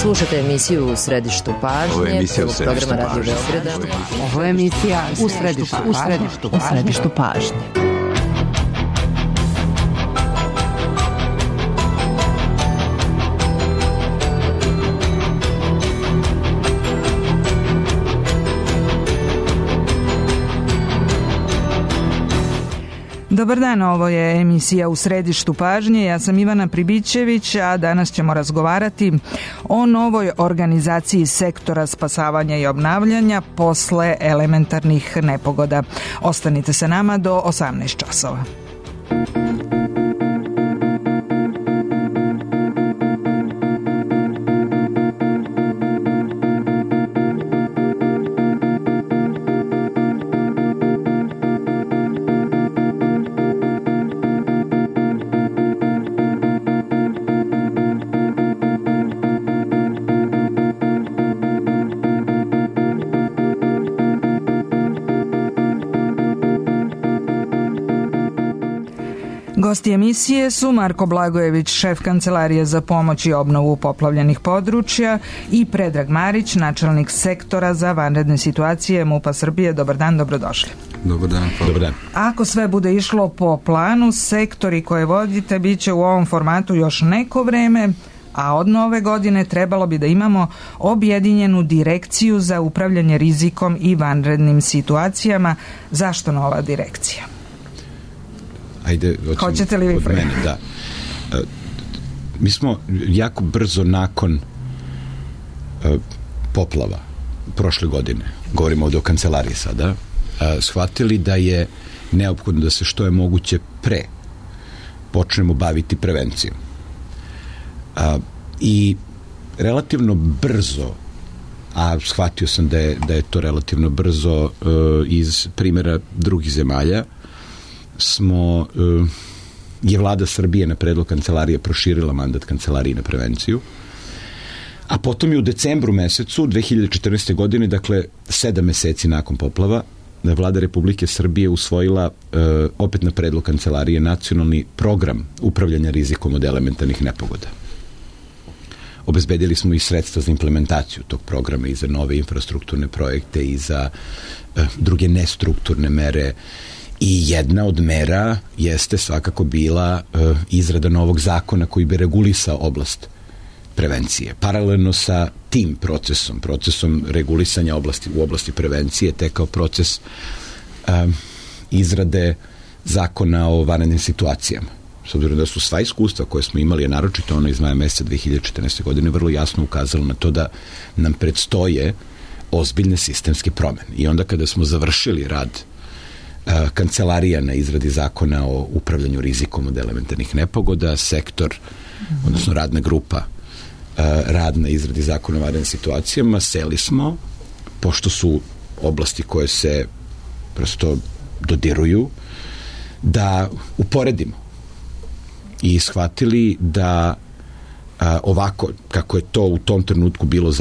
Slušate emisiju U središtu pažnje, prvog programa Radio Beograda. Ovo je emisija U središtu pažnje. Dobar dan, ovo je emisija U središtu pažnje. Ja sam Ivana Pribićević, a danas ćemo razgovarati o novoj organizaciji sektora spasavanja i obnavljanja posle elementarnih nepogoda. Ostanite sa nama do 18 časova. Gosti emisije su Marko Blagojević, šef Kancelarije za pomoć i obnovu poplavljenih područja, i Predrag Marić, načelnik sektora za vanredne situacije MUP-a Srbije. Dobar dan, dobrodošli. Dobar dan. Dobar dan. Ako sve bude išlo po planu, sektori koje vodite bit će u ovom formatu još neko vreme, a od nove godine trebalo bi da imamo objedinjenu direkciju za upravljanje rizikom i vanrednim situacijama. Zašto nova direkcija? Ajde, hoćete li vi od mene, da. Mi smo jako brzo nakon poplava prošle godine, govorimo ovdje o kancelariji sada, shvatili da je neophodno da se što je moguće pre počnemo baviti prevencijom. I relativno brzo, a shvatio sam da je to relativno brzo iz primjera drugih zemalja, je vlada Srbije na predlog kancelarije proširila mandat kancelariji na prevenciju, a potom je u decembru mesecu 2014. godine, dakle 7 meseci nakon poplava, vlada Republike Srbije usvojila opet na predlog kancelarije nacionalni program upravljanja rizikom od elementarnih nepogoda. Obezbedili smo i sredstva za implementaciju tog programa i za nove infrastrukturne projekte i za druge nestrukturne mere. I jedna od mera jeste svakako bila izrada novog zakona koji bi regulisao oblast prevencije. Paralelno sa tim procesom regulisanja u oblasti prevencije tekao proces izrade zakona o vanrednim situacijama. S obzirom da su sva iskustva koje smo imali, a naročito ono iz maja meseca 2014. godine, vrlo jasno ukazalo na to da nam predstoje ozbiljne sistemske promene. I onda kada smo završili rad kancelarija na izradi zakona o upravljanju rizikom od elementarnih nepogoda, sektor, odnosno radna grupa rad na izradi zakona o vanrednim situacijama, seli smo, pošto su oblasti koje se prosto dodiruju, da uporedimo i shvatili da ovako kako je to u tom trenutku bilo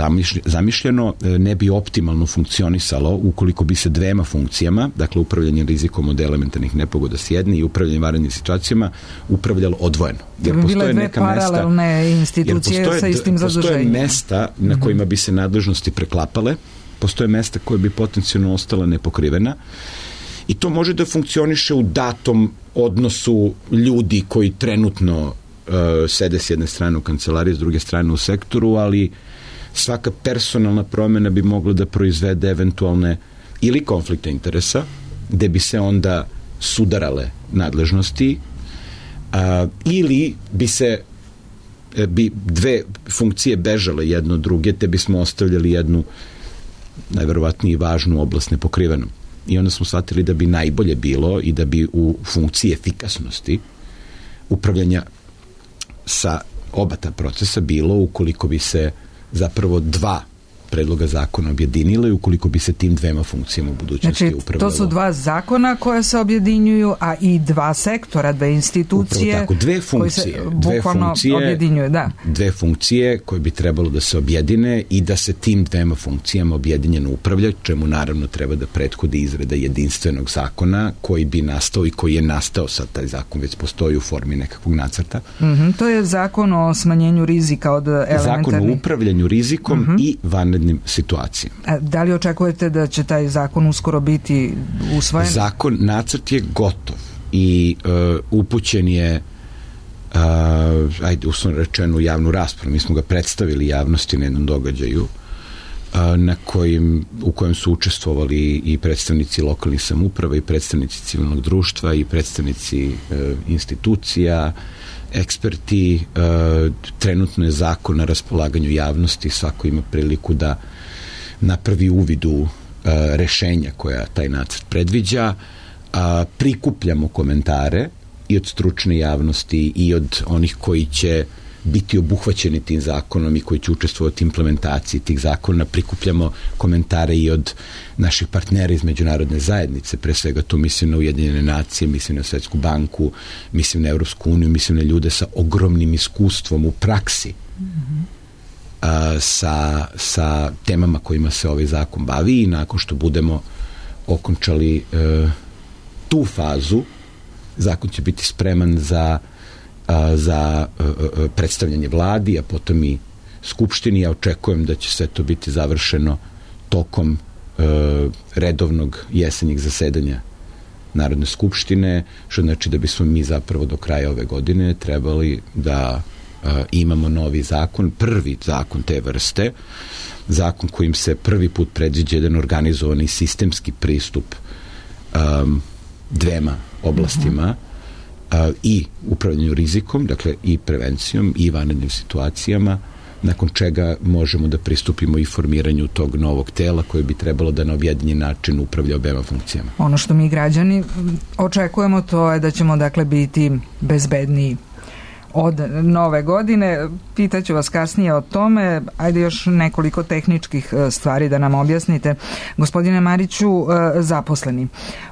zamišljeno, ne bi optimalno funkcionisalo ukoliko bi se dvema funkcijama, dakle upravljanje rizikom od elementarnih nepogoda s jedne i upravljanje vanrednim situacijama, upravljalo odvojeno. Jer postoje neka paralelne institucije sa istim zaduženjem. Postoje mesta na kojima bi se nadležnosti preklapale, postoje mesta koje bi potencijalno ostala nepokrivena, i to može da funkcioniše u datom odnosu ljudi koji trenutno sede s jedne strane u kancelariji, s druge strane u sektoru, ali svaka personalna promjena bi mogla da proizvede eventualne ili konflikte interesa, gde bi se onda sudarale nadležnosti, ili bi dve funkcije bežale jedno od druge, te bismo ostavljali jednu najverovatnije važnu oblast nepokrivenom. I onda smo shvatili da bi najbolje bilo i da bi u funkciji efikasnosti upravljanja sa oba ta procesa bilo ukoliko bi se zapravo dva predloga zakona objedinile i ukoliko bi se tim dvema funkcijama u budućnosti upravljalo. To su dva zakona koja se objedinjuju, a i dva sektora, dve institucije. Upravo tako, dve funkcije objedinjuju, da. Dve funkcije koje bi trebalo da se objedine i da se tim dvema funkcijama objedinjeno upravlja, čemu naravno treba da prethodi izrada jedinstvenog zakona koji bi nastao i koji je nastao, sad taj zakon već postoji u formi nekakvog nacrta. To je zakon o smanjenju rizika od elementarnih. Zakon o upravljanju rizikom i vanrednim situacijama. A da li očekujete da će taj zakon uskoro biti usvojen? Nacrt je gotov i upućen je uslovno rečeno u javnu raspravu. Mi smo ga predstavili javnosti na jednom događaju u kojem su učestvovali i predstavnici lokalnih samouprava i predstavnici civilnog društva i predstavnici institucija, eksperti. Trenutno je zakon na raspolaganju javnosti, svako ima priliku da napravi uvid u rešenja koja taj nacrt predviđa. Prikupljamo komentare i od stručne javnosti i od onih koji će biti obuhvaćeni tim zakonom i koji će učestvovati u implementaciji tih zakona. Prikupljamo komentare i od naših partnera iz međunarodne zajednice, pre svega tu mislim na Ujedinjene nacije, mislim na Svetsku banku, mislim na Evropsku uniju, mislim na ljude sa ogromnim iskustvom u praksi sa temama kojima se ovaj zakon bavi, i nakon što budemo okončali tu fazu, zakon će biti spreman za predstavljanje vladi, a potom i Skupštini. Ja očekujem da će sve to biti završeno tokom redovnog jesenjeg zasedanja Narodne skupštine, što znači da bismo mi zapravo do kraja ove godine trebali da imamo novi zakon, prvi zakon te vrste, zakon kojim se prvi put predviđa jedan organizovani sistemski pristup dvema oblastima, i upravljanju rizikom, dakle i prevencijom i vanrednim situacijama, nakon čega možemo da pristupimo i formiranju tog novog tela koje bi trebalo da na objedinjen način upravlja obema funkcijama. Ono što mi građani očekujemo, to je da ćemo dakle biti bezbedniji od nove godine. Pitaću vas kasnije o tome. Ajde još nekoliko tehničkih stvari da nam objasnite. Gospodine Mariću, zaposleni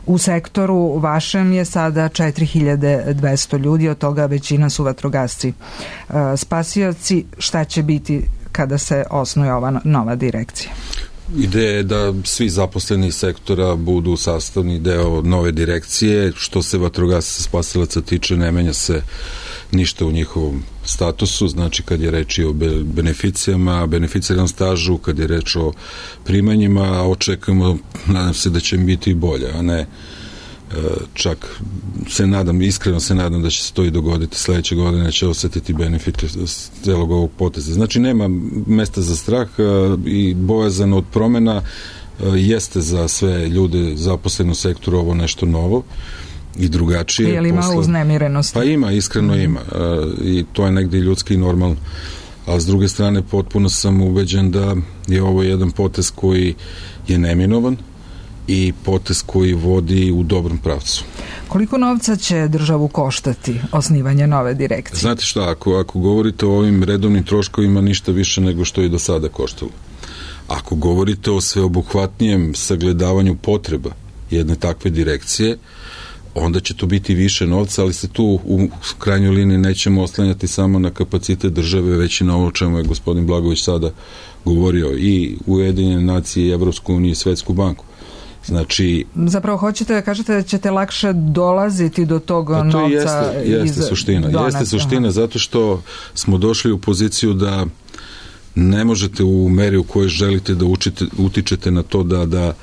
u sektoru vašem je sada 4200 ljudi, od toga većina su vatrogasci. Spasioci, šta će biti kada se osnuje ova nova direkcija? Ideja je da svi zaposleni iz sektora budu sastavni deo nove direkcije. Što se vatrogasaca spasilaca tiče, ne menja se ništa u njihovom statusu, znači kad je reč o beneficijama, beneficiranom stažu, kad je reč o primanjima, očekujemo, nadam se da će im biti bolje, a ne čak iskreno se nadam da će se to i dogoditi. Sledeće godine će osetiti benefite celog ovog poteza. Znači nema mesta za strah i bojazan od promena. Jeste za sve ljude zaposleni u sektoru ovo nešto novo i drugačije. Je li ima uznemirenosti? Pa ima, iskreno ima. I to je negdje ljudski i normalno. A s druge strane potpuno sam ubeđen da je ovo jedan potez koji je neminovan i potez koji vodi u dobrom pravcu. Koliko novca će državu koštati osnivanje nove direkcije? Znate šta, ako govorite o ovim redovnim troškovima, ništa više nego što je do sada koštalo. Ako govorite o sveobuhvatnijem sagledavanju potreba jedne takve direkcije, onda će to biti više novca, ali se tu u krajnjoj liniji nećemo oslanjati samo na kapacitet države, već i na ovo o čemu je gospodin Blagović sada govorio, i Ujedinjene nacije, i Evropsku uniju, i Svetsku banku. Znači, zapravo hoćete da kažete da ćete lakše dolaziti do tog novca? To jeste suština. Jeste suština zato što smo došli u poziciju da ne možete u meri u kojoj želite da utičete na to da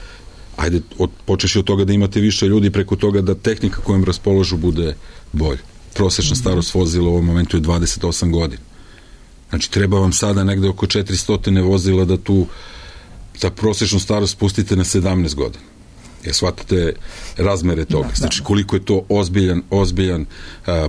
ajde, počeši od toga da imate više ljudi, preko toga da tehnika kojom raspolažu bude bolje. Prosečna starost vozila u ovom momentu je 28 godina. Znači, treba vam sada negde oko 400 vozila da tu za prosečnu starost spustite na 17 godina. Shvatate razmere toga. Znači, koliko je to ozbiljan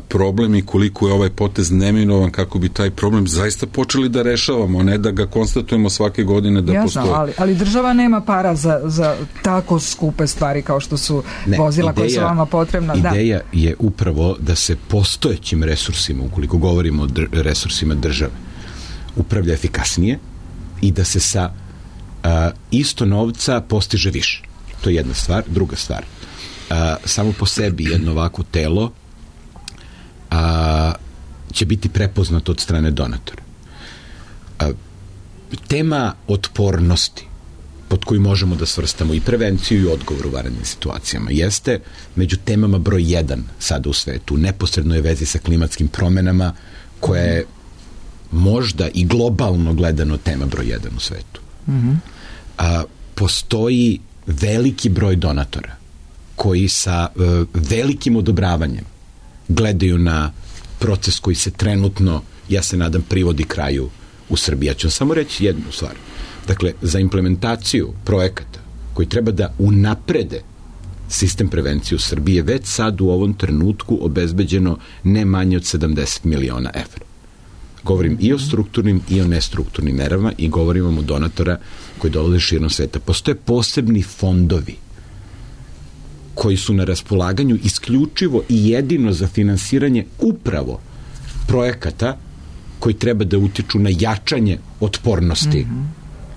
problem i koliko je ovaj potez neminovan kako bi taj problem zaista počeli da rešavamo, a ne da ga konstatujemo svake godine da postoji. Ali država nema para za tako skupe stvari kao što su vozila koje su vama potrebna. Ideja je upravo da se postojećim resursima, ukoliko govorimo o resursima države, upravlja efikasnije i da se sa isto novca postiže više. To je jedna stvar. Druga stvar, samo po sebi jedno ovako telo će biti prepoznato od strane donatora. Tema otpornosti pod koju možemo da svrstamo i prevenciju i odgovor u vanrednim situacijama jeste među temama broj 1 sada u svetu. Neposredno je vezi sa klimatskim promenama koja je možda i globalno gledano tema broj 1 u svetu. Postoji veliki broj donatora koji sa velikim odobravanjem gledaju na proces koji se trenutno, ja se nadam, privodi kraju u Srbiji. Ja ću samo reći jednu stvar. Dakle, za implementaciju projekata koji treba da unaprede sistem prevencije u Srbiji je već sad u ovom trenutku obezbeđeno ne manje od 70 miliona evra. Govorim i o strukturnim i o nestrukturnim merama i govorim vam o donatora koji dolaze širom sveta. Postoje posebni fondovi koji su na raspolaganju isključivo i jedino za finansiranje upravo projekata koji treba da utiču na jačanje otpornosti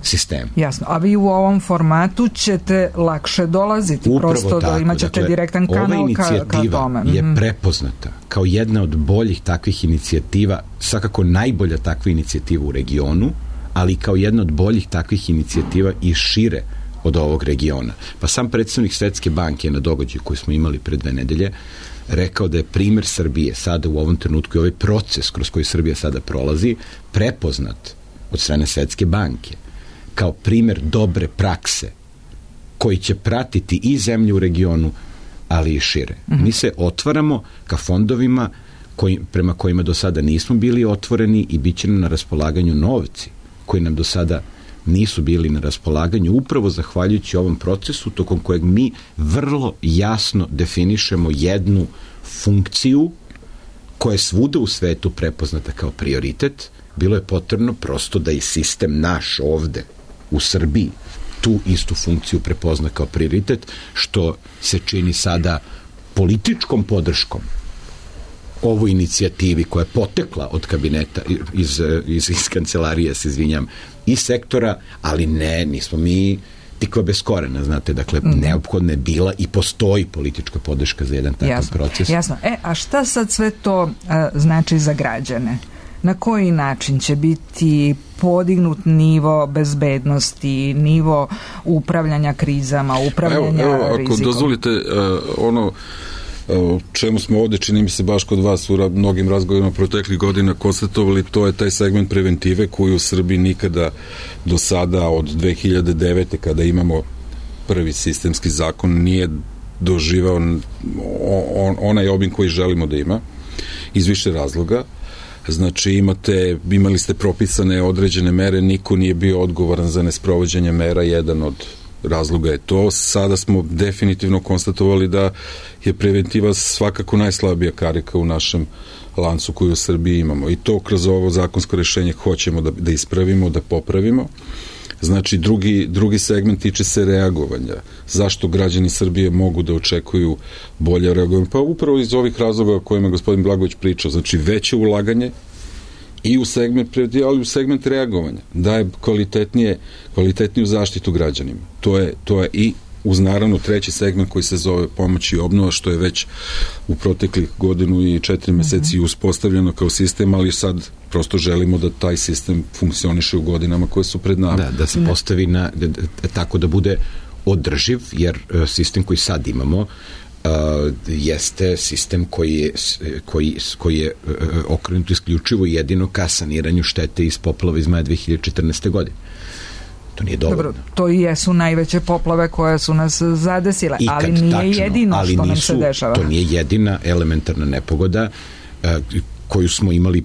sistema. Jasno, a vi u ovom formatu ćete lakše dolaziti, upravo prosto tako. Da imaćete direktan kanal ka tome. Ova inicijativa je prepoznata kao jedna od boljih takvih inicijativa, svakako najbolja takva inicijativa u regionu, ali kao jedna od boljih takvih inicijativa i šire od ovog regiona. Pa sam predstavnik Svetske banke na događaju koji smo imali pre 2 nedelje rekao da je primer Srbije sada u ovom trenutku i ovaj proces kroz koji Srbija sada prolazi prepoznat od strane Svetske banke kao primer dobre prakse koji će pratiti i zemlje u regionu, ali i šire. Mi se otvaramo ka fondovima prema kojima do sada nismo bili otvoreni i bit će nam na raspolaganju novci koji nam do sada nisu bili na raspolaganju, upravo zahvaljujući ovom procesu tokom kojeg mi vrlo jasno definišemo jednu funkciju koja je svuda u svetu prepoznata kao prioritet. Bilo je potrebno prosto da i sistem naš ovde u Srbiji tu istu funkciju prepozna kao prioritet, što se čini sada političkom podrškom ovoj inicijativi koja je potekla od kabineta iz kancelarije, se izvinjam, i sektora, ali nismo mi tikva bez korena, znate, dakle, neophodna je bila i postoji politička podrška za jedan takav proces. Jasno. A šta sad sve to znači za građane? Na koji način će biti podignut nivo bezbednosti, nivo upravljanja krizama, upravljanja rizikom? Ako dozvolite, ono o čemu smo ovde, čini mi se baš kod vas u mnogim razgovorima proteklih godina konstatovali, to je taj segment preventive koji u Srbiji nikada do sada od 2009. kada imamo prvi sistemski zakon nije doživao onaj obim koji želimo da ima iz više razloga. Znači imali ste propisane određene mere, niko nije bio odgovoran za nesprovođenje mera, jedan od razloga je to. Sada smo definitivno konstatovali da je preventiva svakako najslabija karika u našem lancu koju u Srbiji imamo i to kroz ovo zakonsko rešenje hoćemo da ispravimo, da popravimo. Znači drugi segment tiče se reagovanja. Zašto građani Srbije mogu da očekuju bolje reagovanje? Pa upravo iz ovih razloga o kojima gospodin Blagojević pričao, znači veće ulaganje i u segment preventive, ali u segment reagovanja, daje kvalitetniju zaštitu građanima. To je i uz naravno treći segment koji se zove pomoć i obnova, što je već u proteklih 1 i 4 meseci uspostavljeno kao sistem, ali sad prosto želimo da taj sistem funkcioniše u godinama koje su pred nama. Da se postavi tako da bude održiv, jer sistem koji sad imamo jeste sistem koji je okrenut isključivo jedino ka saniranju štete iz poplava iz maja 2014. godine. To nije dovoljno. Dobro, to i jesu najveće poplave koje su nas zadesile, ali nije jedino što nam se dešava. To nije jedina elementarna nepogoda koju smo imali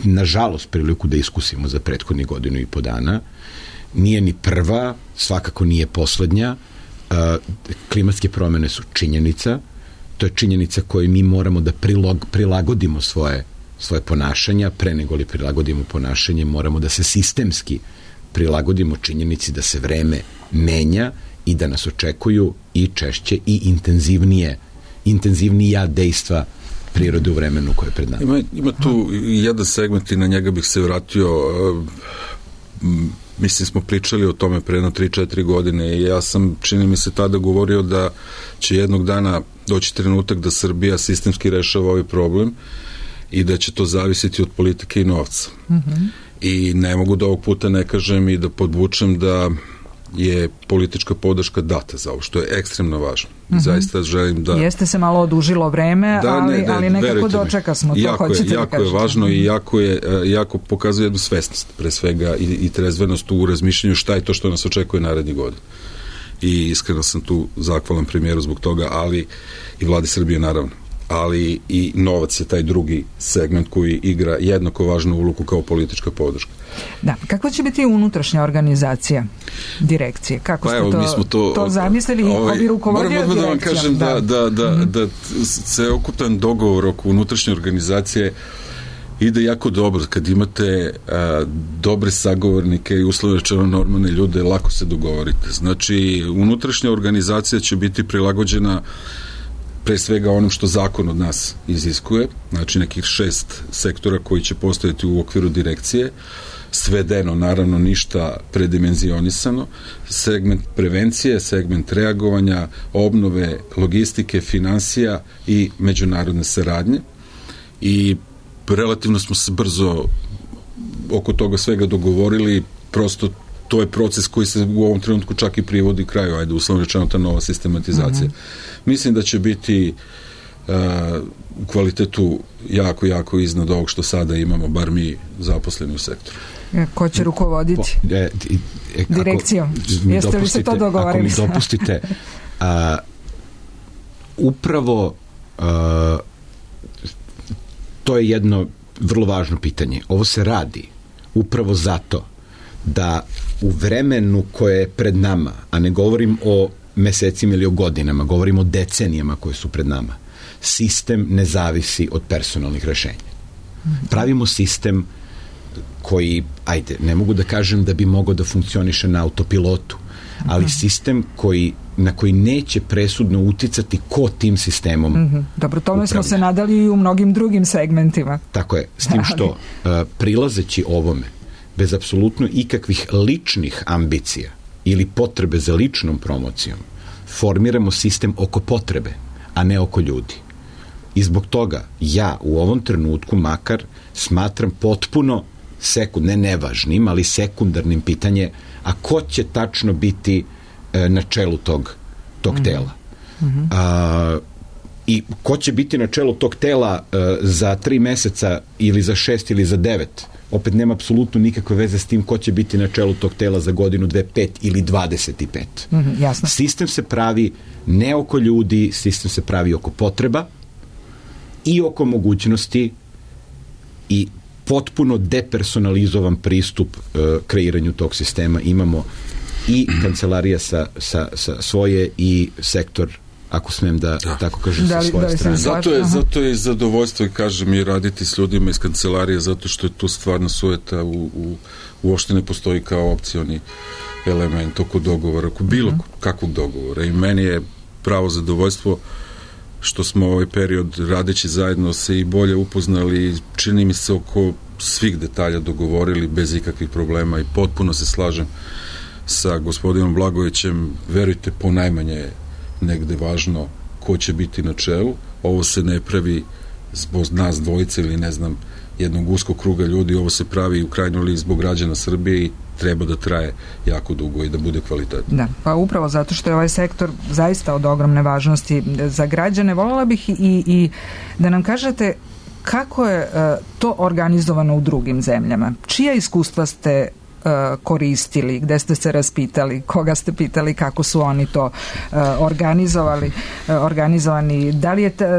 nažalost priliku da iskusimo za prethodnih 1.5 godina. Nije ni prva, svakako nije poslednja. Klimatske promene su činjenica. To je činjenica koju mi moramo da prilagodimo svoje ponašanja. Pre nego li prilagodimo ponašanje, moramo da se sistemski prilagodimo činjenici da se vreme menja i da nas očekuju i češće i intenzivnija dejstva prirode u vremenu koje je pred nama. Ima tu jedan segment i na njega bih se vratio. mislim smo pričali o tome pre 3-4 godine i ja sam, čini mi se, tada govorio da će jednog dana doći trenutak da Srbija sistemski rešava ovaj problem i da će to zavisiti od politike i novca. I ne mogu da ovog puta ne kažem i da podvučem da je politička podrška data za ovo, što je ekstremno važno. Zaista želim da... Jeste se malo odužilo vreme, ali nekako dočeka smo to, hoćete da kažete. Jako je važno i jako pokazuje jednu svesnost, pre svega, i trezvenost u razmišljanju šta je to što nas očekuje narednih godina. I iskreno sam tu zahvalan premijeru zbog toga, ali i vladi Srbije naravno. Ali i novac je taj drugi segment koji igra jednako važnu ulogu kao politička podrška. Da, kakva će biti unutrašnja organizacija direkcije? Kako ste to zamislili i ko bi rukovodio direkcijom? Moram da vam kažem da celokupan dogovor oko unutrašnje organizacije ide jako dobro. Kad imate dobre sagovornike i uslovno rečeno normalne ljude, lako se dogovorite. Znači, unutrašnja organizacija će biti prilagođena pre svega onom što zakon od nas iziskuje, znači nekih 6 sektora koji će postojati u okviru direkcije, svedeno, naravno ništa predimenzionisano, segment prevencije, segment reagovanja, obnove, logistike, finansija i međunarodne saradnje. I relativno smo se brzo oko toga svega dogovorili, prosto to je proces koji se u ovom trenutku čak i privodi kraju, uslovno rečeno ta nova sistematizacija. Mislim da će biti u kvalitetu jako iznad ovog što sada imamo, bar mi zaposleni u sektoru. Ko će rukovoditi direkcijom? Jeste li se to dogovorili? Ako mi dopustite, upravo to je jedno vrlo važno pitanje. Ovo se radi upravo zato da u vremenu koje je pred nama, a ne govorim o mesecima ili o godinama, govorim o decenijama koje su pred nama, sistem ne zavisi od personalnih rešenja. Pravimo sistem koji, ne mogu da kažem da bi mogao da funkcioniše na autopilotu, ali sistem na koji neće presudno uticati ko tim sistemom. Dobro, tome smo se nadali i u mnogim drugim segmentima. Tako je, s tim što prilazeći ovome, bez apsolutno ikakvih ličnih ambicija ili potrebe za ličnom promocijom, formiramo sistem oko potrebe, a ne oko ljudi. I zbog toga ja u ovom trenutku makar smatram potpuno nevažnim, ali sekundarnim pitanje, a ko će tačno biti na čelu tog tela. I ko će biti na čelu tog tela za 3 meseca ili za 6 ili za 9, opet nema apsolutno nikakve veze s tim ko će biti na čelu tog tela za godinu, 2, 5 ili 25. Jasno. Sistem se pravi ne oko ljudi, sistem se pravi oko potreba i oko mogućnosti i potpuno depersonalizovan pristup kreiranju tog sistema. Imamo i kancelarija sa svoje i sektor, ako smem da tako kažem, sa svoje strane. Zato je zadovoljstvo i kažem i raditi s ljudima iz kancelarije, zato što je tu stvarno sujeta, uopšte ne postoji kao opcioni element oko dogovora, oko bilo kakvog dogovora. I meni je pravo zadovoljstvo što smo ovaj period radeći zajedno se i bolje upoznali, čini mi se oko svih detalja dogovorili bez ikakvih problema i potpuno se slažem sa gospodinom Blagojevićem. Verujte, ponajmanje negde važno ko će biti na čelu. Ovo se ne pravi zbog nas dvojice ili ne znam jednog uskog kruga ljudi, ovo se pravi u krajnjoj liniji zbog građana Srbije i treba da traje jako dugo i da bude kvalitetno. Da, pa upravo zato što je ovaj sektor zaista od ogromne važnosti za građane. Voljela bih i da nam kažete kako je to organizovano u drugim zemljama. Čija iskustva ste koristili, gde ste se raspitali, koga ste pitali, kako su oni to organizovani,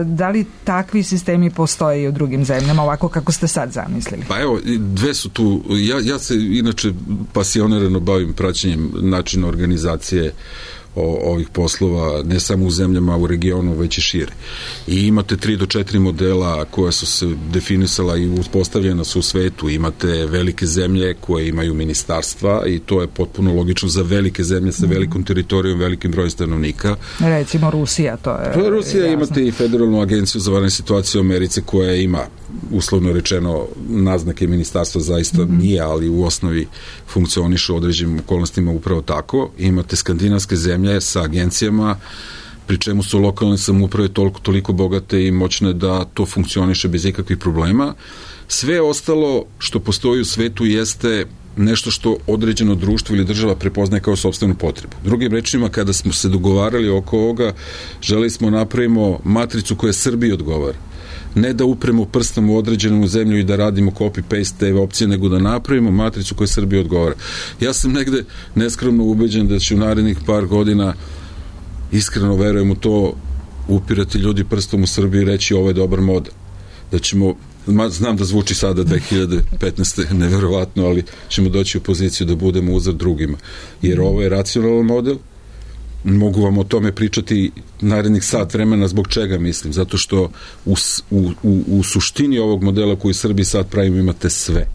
da li takvi sistemi postoje i u drugim zemljama, ovako kako ste sad zamislili? Pa evo, dve su tu, ja se inače pasionirano bavim praćenjem načina organizacije ovih poslova, ne samo u zemljama u regionu, već i šire. I imate 3 do 4 modela koja su se definisala i uspostavljena su u svetu. Imate velike zemlje koje imaju ministarstva i to je potpuno logično za velike zemlje sa velikom teritorijom, velikim brojem stanovnika. Recimo Rusija, to je... Rusija, imate i Federalnu agenciju za vanredne situacije u Americi koja ima uslovno rečeno naznake ministarstva zaista nije, ali u osnovi funkcioniše u određenim okolnostima upravo tako. Imate skandinavske zemlje sa agencijama, pri čemu su lokalne samouprave toliko bogate i moćne da to funkcioniše bez ikakvih problema. Sve ostalo što postoji u svetu jeste nešto što određeno društvo ili država prepoznaje kao sopstvenu potrebu. Drugim rečima, kada smo se dogovarali oko ovoga, želeli smo napravimo matricu koja Srbiji odgovara. Ne da upremo prstom u određenu zemlju i da radimo copy-paste te opcije, nego da napravimo matricu koja Srbiji odgovara. Ja sam negde neskromno ubeđen da će u narednih par godina, iskreno verujem u to, upirati ljudi prstom u Srbiji i reći ovo je dobar model. Da ćemo, znam da zvuči sada 2015. neverovatno, ali ćemo doći u poziciju da budemo uzor drugima. Jer ovo je racionalan model, mogu vam o tome pričati narednih sat vremena, zbog čega mislim, zato što u suštini ovog modela koji u Srbiji sad pravimo imate sve.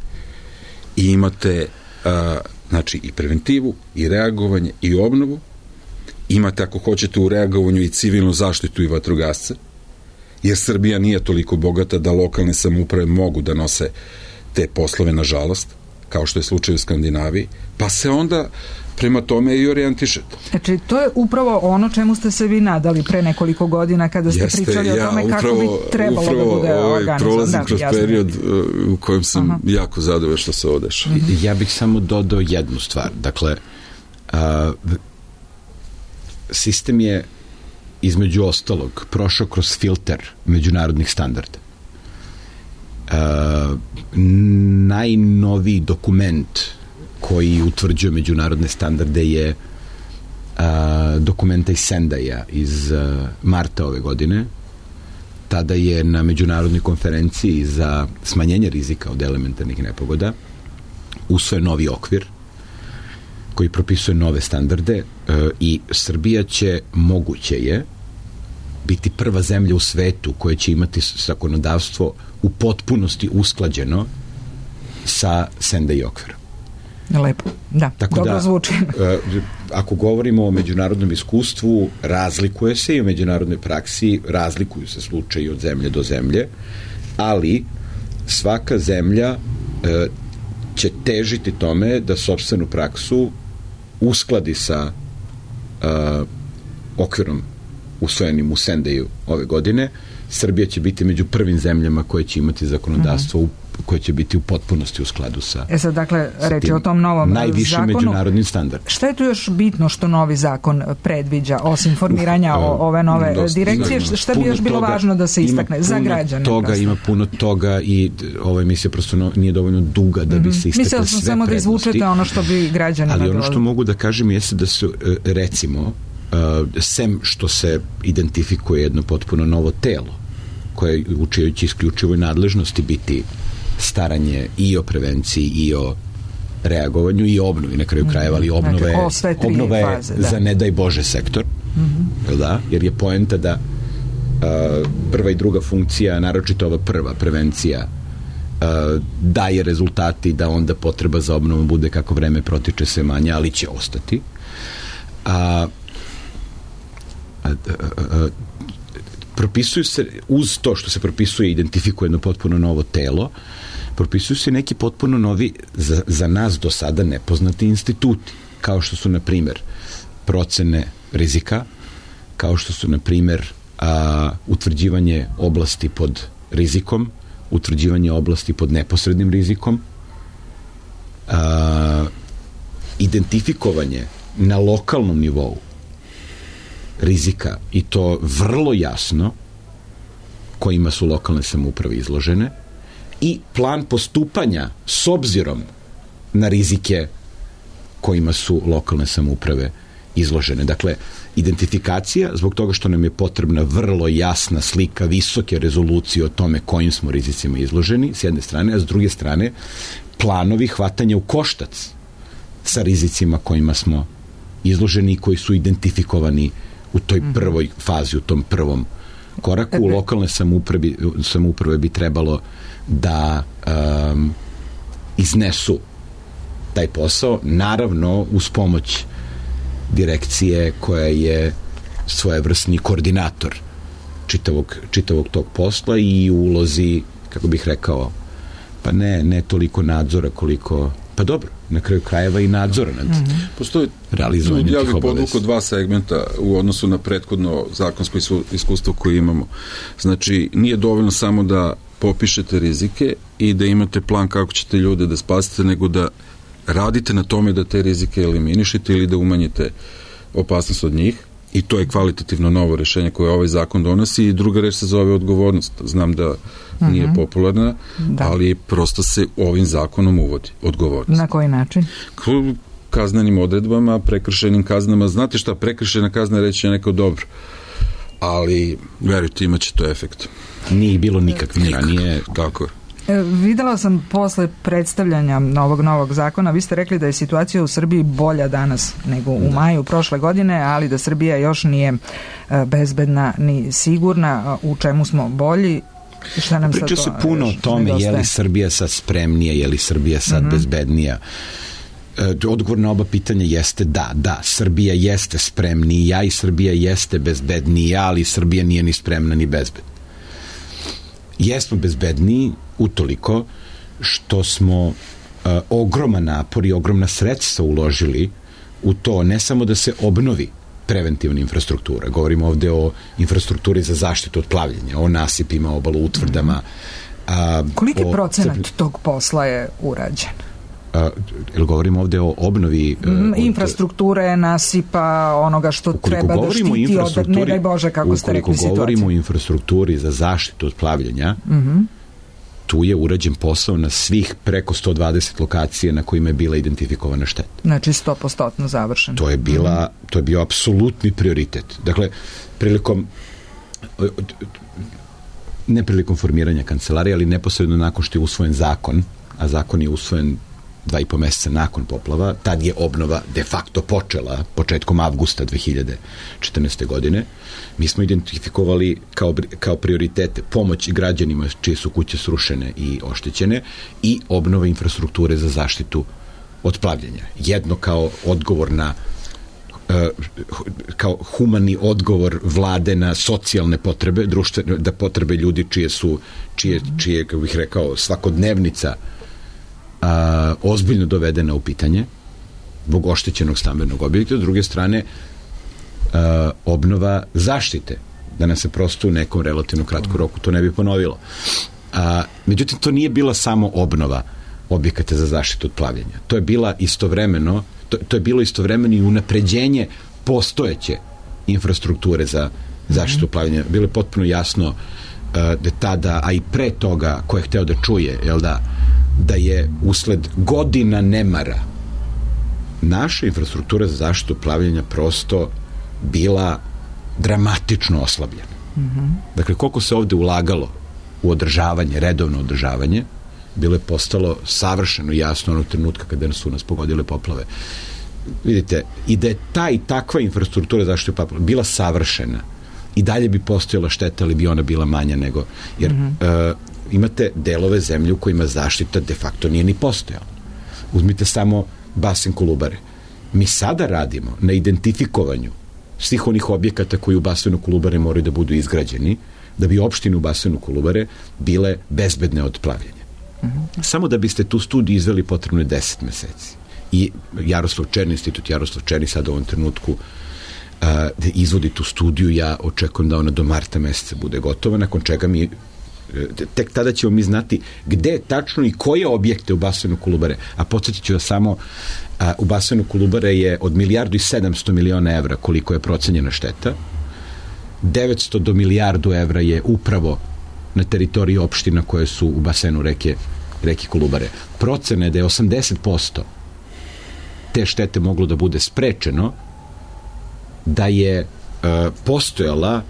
I imate znači i preventivu, i reagovanje, i obnovu, imate ako hoćete u reagovanju i civilnu zaštitu i vatrogasce, jer Srbija nije toliko bogata da lokalne samouprave mogu da nose te poslove, nažalost, kao što je slučaj u Skandinaviji, pa se onda prema tome i orijentišete. Znači, to je upravo ono čemu ste se vi nadali pre nekoliko godina kada ste pričali o tome kako bi trebalo da bude organizovan. Prolazim kroz period u kojem sam jako zadovoljan što se ovo dešava. Ja bih samo dodao jednu stvar. Dakle, sistem je između ostalog prošao kroz filter međunarodnih standarda. Najnoviji dokument koji utvrđuje međunarodne standarde je dokumenta iz Sendaja iz marta ove godine. Tada je na međunarodnoj konferenciji za smanjenje rizika od elementarnih nepogoda usvojen novi okvir koji propisuje nove standarde i Srbija će, moguće je, biti prva zemlja u svetu koja će imati zakonodavstvo u potpunosti usklađeno sa Sendai okvirom. Lepo, da, tako dobro zvuči. Ako govorimo o međunarodnom iskustvu, razlikuje se i u međunarodnoj praksi, razlikuju se slučaji od zemlje do zemlje, ali svaka zemlja će težiti tome da sopstvenu praksu uskladi sa okvirom usvojenim u Sendaju ove godine. Srbija će biti među prvim zemljama koje će imati zakonodavstvo koje će biti u potpunosti u skladu sa sad, dakle, reći o tom novom najvišim zakonu, međunarodnim standardima. Šta je tu još bitno što novi zakon predviđa, osim formiranja ove nove direkcije? Šta bi još bilo važno da se istakne za građane? Ima puno toga i ova emisija prosto nije dovoljno duga da bi se istakle sve prednosti. Samo da izvučete ono što bi građani... Ali ono što mogu da kažem jeste da su, recimo, sem što se identifikuje jedno potpuno novo telo koje u čijoj isključivoj nadležnosti biti staranje i o prevenciji i o reagovanju i obnovi na kraju krajeva, ali obnova je za ne daj Bože sektor, da? Jer je poenta da prva i druga funkcija, naročito ova prva, prevencija, daje rezultati da onda potreba za obnovom bude kako vreme protiče sve manje, ali će ostati. Propisuju se, uz to što se propisuje i identifikuje jedno potpuno novo telo, propisuju se neki potpuno novi, za nas do sada nepoznati instituti, kao što su, na primjer, procene rizika, kao što su, na primjer, utvrđivanje oblasti pod rizikom, utvrđivanje oblasti pod neposrednim rizikom, identifikovanje na lokalnom nivou rizika i to vrlo jasno kojima su lokalne samouprave izložene i plan postupanja s obzirom na rizike kojima su lokalne samouprave izložene. Dakle, identifikacija, zbog toga što nam je potrebna vrlo jasna slika, visoke rezolucije o tome kojim smo rizicima izloženi, s jedne strane, a s druge strane planovi hvatanja u koštac sa rizicima kojima smo izloženi i koji su identifikovani u toj prvoj fazi, u tom prvom koraku. Lokalne samouprave bi trebalo da iznesu taj posao, naravno uz pomoć direkcije koja je svojevrsni koordinator čitavog tog posla i u ulozi kako bih rekao, pa ne toliko nadzora koliko, pa dobro, na kraju krajeva i nadzora nad postoji realizovanjem tih obaveza. Ja bih podvukao dva segmenta u odnosu na prethodno zakonsko iskustvo koje imamo. Znači, nije dovoljno samo da popišete rizike i da imate plan kako ćete ljude da spasite, nego da radite na tome da te rizike eliminišete ili da umanjite opasnost od njih, i to je kvalitativno novo rešenje koje ovaj zakon donosi. I druga reč se zove odgovornost. Znam da nije popularna, ali prosto se ovim zakonom uvodi odgovornost. Na koji način? Kaznenim odredbama, prekršajnim kaznama. Znate šta, prekršajna kazna reći je neko dobro, ali verujte, imat će to efekt. Nije bilo nikakvih ranije. Tako je. Videla sam posle predstavljanja ovog novog zakona, vi ste rekli da je situacija u Srbiji bolja danas nego u maju prošle godine, ali da Srbija još nije bezbedna ni sigurna. U čemu smo bolji? Šta nam priča se puno o tome, je li Srbija sad spremnija, je li Srbija sad bezbednija. Odgovor na oba pitanja jeste da, Srbija jeste spremnija i Srbija jeste bezbednija, ali Srbija nije ni spremna ni bezbedna. Jesmo bezbedniji utoliko što smo ogroman napor i ogromna sredstva uložili u to, ne samo da se obnovi preventivna infrastruktura, govorimo ovde o infrastrukturi za zaštitu od plavljenja, o nasipima, obalu, utvrdama. Koliki procenat tog posla je urađen? Ili govorimo ovde o obnovi infrastrukture, nasipa, onoga što treba da štiti od, ne daj Bože, kako ste rekli, situacije. Ukoliko govorimo o infrastrukturi za zaštitu od plavljenja, tu je urađen posao na svih preko 120 lokacija na kojima je bila identifikovana šteta. Znači 100% završeno. To je bio apsolutni prioritet. Dakle, ne prilikom formiranja kancelarije, ali neposredno nakon što je usvojen zakon, a zakon je usvojen 2,5 meseca nakon poplava, tad je obnova de facto počela početkom avgusta 2014. godine. Mi smo identifikovali kao prioritete pomoć građanima čije su kuće srušene i oštećene i obnova infrastrukture za zaštitu od plavljenja. Jedno kao odgovor na kao humani odgovor vlade na socijalne potrebe, društvene, da potrebe ljudi čije, kako bih rekao, svakodnevnica ozbiljno dovedena u pitanje zbog oštećenog stambenog objekta. S druge strane, obnova zaštite, da nam se prosto u nekom relativno kratkom roku to ne bi ponovilo. Međutim, to nije bila samo obnova objekata za zaštitu od plavljenja. To je bila istovremeno, to je bilo istovremeno i unapređenje postojeće infrastrukture za zaštitu od plavljenja. Bilo je potpuno jasno da tada, a i pre toga, ko je hteo da čuje, da je usled godina nemara naša infrastruktura za zaštitu plavljenja prosto bila dramatično oslabljena. Dakle, koliko se ovde ulagalo u održavanje, redovno održavanje, bilo je postalo savršeno jasno onog trenutka kada su nas pogodile poplave. Vidite, i da je ta i takva infrastruktura za zaštitu poplava bila savršena, i dalje bi postojala šteta, ali bi ona bila manja nego, jer imate delove zemlje u kojima zaštita de facto nije ni postojala. Uzmite samo basen Kolubare. Mi sada radimo na identifikovanju svih onih objekata koji u basenu Kolubare moraju da budu izgrađeni, da bi opštine u basenu Kolubare bile bezbedne od plavljenja. Samo da biste tu studiju izveli potrebno je 10 meseci. I Institut Jaroslav Černi sada u ovom trenutku da izvodi tu studiju, ja očekujem da ona do marta meseca bude gotova, nakon čega tek tada ćemo mi znati gde tačno i koje objekte u basenu Kolubare, a podsjetit ću da samo u basenu Kolubare je od 1.700 miliona evra koliko je procenjena šteta, 900 do 1.000.000 evra je upravo na teritoriji opština koje su u basenu reke Kolubare. Procena je da je 80% te štete moglo da bude sprečeno da je postojala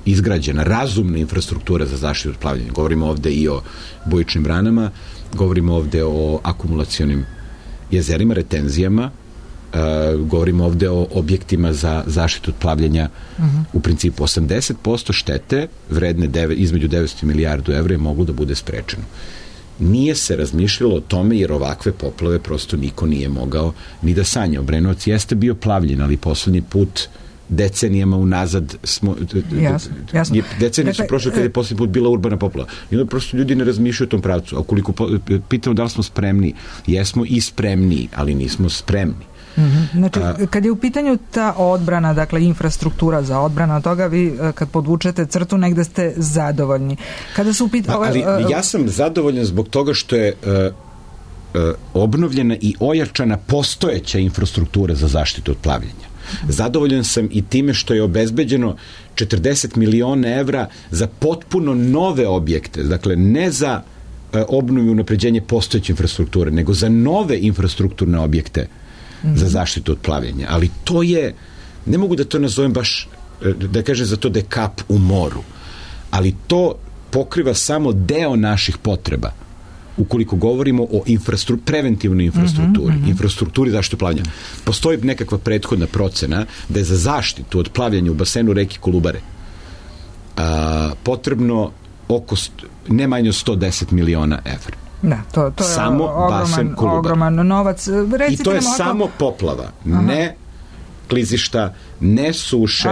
izgrađena razumna infrastruktura za zaštitu od plavljenja. Govorimo ovde i o bujičnim branama, govorimo ovde o akumulacionim jezerima, retenzijama, govorimo ovde o objektima za zaštitu od plavljenja. U principu 80% štete vredne između 900 i 1.000.000 evra je moglo da bude sprečeno. Nije se razmišljalo o tome jer ovakve poplave prosto niko nije mogao ni da sanja. Obrenovac jeste bio plavljen, ali poslednji put decenijama unazad jasno. Decenije su prošle kada je posljednji put bila urbana poplava. I onda prosto ljudi ne razmišljaju o tom pravcu. A ukoliko pitamo da li smo spremni, jesmo i spremni, ali nismo spremni. Znači, kad je u pitanju ta odbrana, dakle infrastruktura za odbranu toga, vi kad podvučete crtu negde ste zadovoljni. Kada su ali ja sam zadovoljan zbog toga što je obnovljena i ojačana postojeća infrastruktura za zaštitu od plavljenja. Zadovoljan sam i time što je obezbeđeno 40 miliona evra za potpuno nove objekte, dakle ne za obnovu i unapređenje postojeće infrastrukture, nego za nove infrastrukturne objekte za zaštitu od plavljenja. Ali to je, ne mogu da to nazovem baš, da kažem za to da je kap u moru, ali to pokriva samo deo naših potreba. Ukoliko govorimo o preventivnoj infrastrukturi, infrastrukturi zaštite plavljenja. Postoji nekakva prethodna procena da je za zaštitu od plavljenja u basenu reke Kolubare potrebno oko ne manje od 110 miliona evra. Da, to je samo ogroman novac. I to je samo poplava, ne klizišta, ne suše,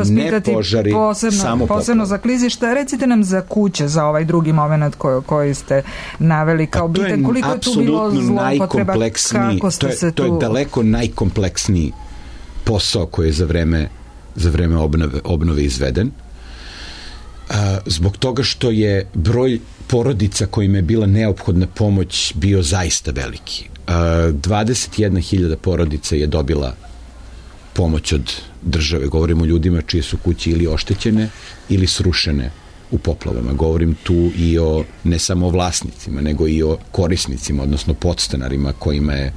ne požari, samo posebno za klizišta. Recite nam za kuće, za ovaj drugi moment koji ste naveli kao bitan. Koliko je tu bilo zloupotreba? Kako ste se tu... To je daleko najkompleksniji posao koji je za vreme obnove izveden. Zbog toga što je broj porodica kojima je bila neophodna pomoć bio zaista veliki. 21.000 porodica je dobila pomoć od države. Govorimo o ljudima čije su kuće ili oštećene ili srušene u poplavama. Govorim tu i o ne samo vlasnicima, nego i o korisnicima, odnosno podstanarima kojima je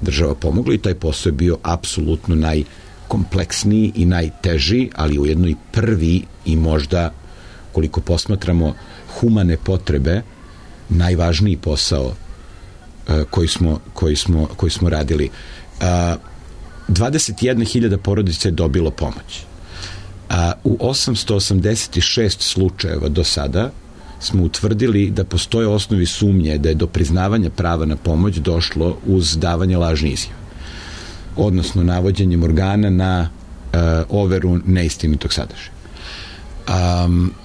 država pomogla, i taj posao je bio apsolutno najkompleksniji i najteži, ali ujedno i prvi i možda, koliko posmatramo humane potrebe, najvažniji posao koji smo radili. 21.000 porodica je dobilo pomoć. U 886 slučajeva do sada smo utvrdili da postoje osnovi sumnje da je do priznavanja prava na pomoć došlo uz davanje lažne izjave, odnosno navođenjem organa na overu neistinitog sadržaja.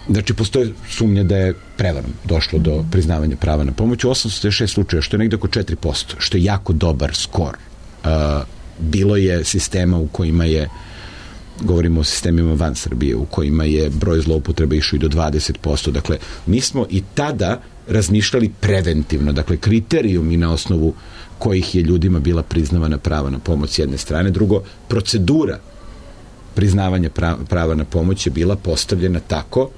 Znači, postoje sumnja da je prevarom došlo do priznavanja prava na pomoć u 886 slučaja, što je negde oko 4%, što je jako dobar skor. Bilo je sistema u kojima je, govorimo o sistemima van Srbije, u kojima je broj zloupotreba išao i do 20%. Dakle, mi smo i tada razmišljali preventivno, dakle, kriterijumi na osnovu kojih je ljudima bila priznavana prava na pomoć s jedne strane. Drugo, procedura priznavanja prava na pomoć je bila postavljena tako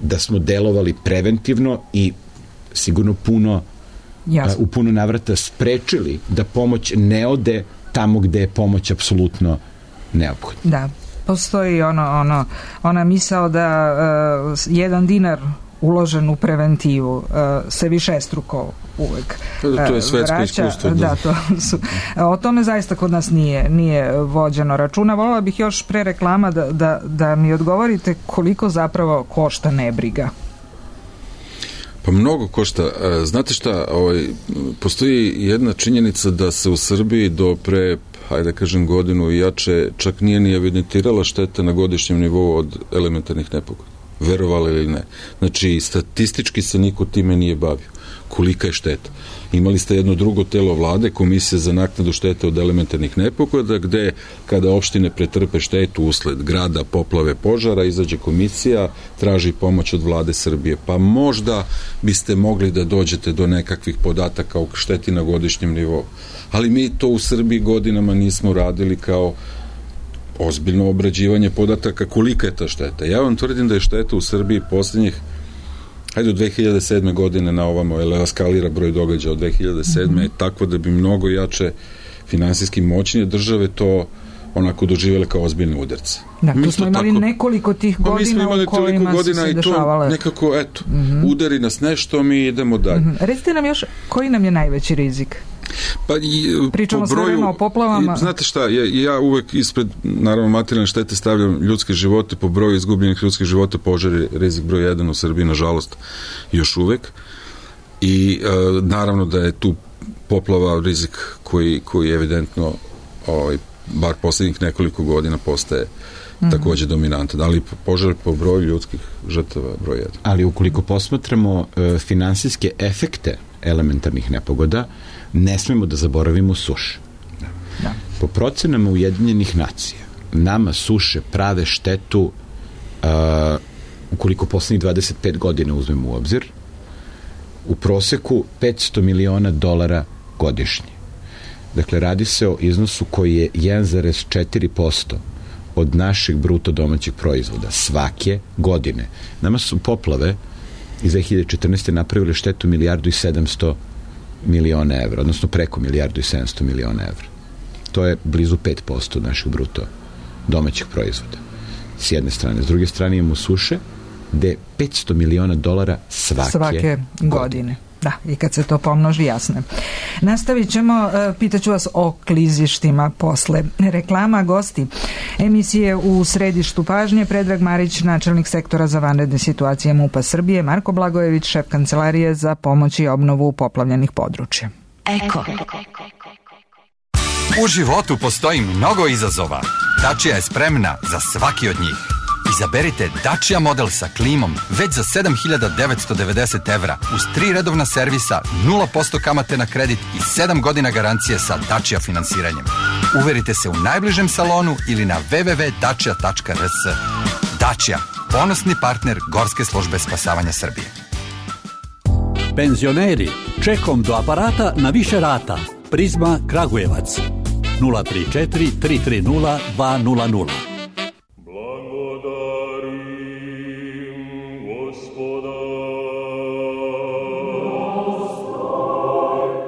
da smo delovali preventivno i sigurno u puno navrata sprečili da pomoć ne ode tamo gde je pomoć apsolutno neophodna. Da, postoji ona misao da 1 dinar uložen u preventivu se višestruko uvek to je svetsko iskustvo. Da, o tome zaista kod nas nije vođeno računa. Voljela bih još pre reklama da mi odgovorite koliko zapravo košta nebriga. Pa mnogo košta. Znate šta, postoji jedna činjenica da se u Srbiji do pre, hajde kažem, godinu i jače čak nije ni evidentirala šteta na godišnjem nivou od elementarnih nepogoda. Verovali ili ne. Znači, statistički se niko time nije bavio. Kolika je šteta? Imali ste jedno drugo telo vlade, Komisija za naknadu štete od elementarnih nepogoda, gde kada opštine pretrpe štetu usled grada, poplave, požara, izađe komisija, traži pomoć od vlade Srbije. Pa možda biste mogli da dođete do nekakvih podataka o šteti na godišnjem nivou. Ali mi to u Srbiji godinama nismo radili kao ozbiljno obrađivanje podataka kolika je ta šteta. Ja vam tvrdim da je šteta u Srbiji posljednjih, hajde od 2007. godine na ovamo, jer eskalira broj događaja od 2007. je tako da bi mnogo jače finansijski moćnije države to onako doživjele kao ozbiljne udarce. Da, tu smo imali nekoliko tih godina u kojima su se dešavale. I to nekako, udari nas nešto, mi idemo dalje. Recite nam još, koji nam je najveći rizik? Pa pričamo sve vreme o poplavama. Znate šta, ja uvek ispred, naravno, materijalne štete stavljam ljudske živote. Po broju izgubljenih ljudskih života požar je rizik broj 1 u Srbiji, nažalost, još uvek. I naravno da je tu poplava rizik koji evidentno bar posljednjih nekoliko godina postaje takođe dominantan, ali požar po broju ljudskih žrtava broj 1. Ali ukoliko posmatramo finansijske efekte elementarnih nepogoda, ne smemo da zaboravimo suše. Da. Po procenama Ujedinjenih nacija, nama suše prave štetu ukoliko poslednjih 25 godina uzmemo u obzir, u proseku $500 miliona godišnje. Dakle, radi se o iznosu koji je 1,4% od našeg bruto domaćeg proizvoda svake godine. Nama su poplave iz 2014. napravile štetu $1,7 milijardi evra, odnosno preko $1,7 milijardi evra. To je blizu 5% našeg bruto domaćeg proizvoda. S jedne strane. S druge strane imamo suše gde $500 miliona svake godine. Da, i kad se to pomnoži, jasno. Nastavit ćemo, pitaću vas o klizištima posle reklama. Gosti emisije u središtu pažnje: Predrag Marić, načelnik sektora za vanredne situacije MUP-a Srbije, Marko Blagojević, šef kancelarije za pomoć i obnovu poplavljenih područja. Eko. U životu postoji mnogo izazova. Dacia je spremna za svaki od njih. Izaberite Dacia model sa klimom već za 7.990 evra uz 3 redovna servisa, 0% kamate na kredit i 7 godina garancije sa Dacia finansiranjem. Uverite se u najbližem salonu ili na www.dacia.rs. Dacia, ponosni partner Gorske službe spasavanja Srbije. Penzioneri, čekom do aparata na više rata. Prizma Kragujevac 034 330 200.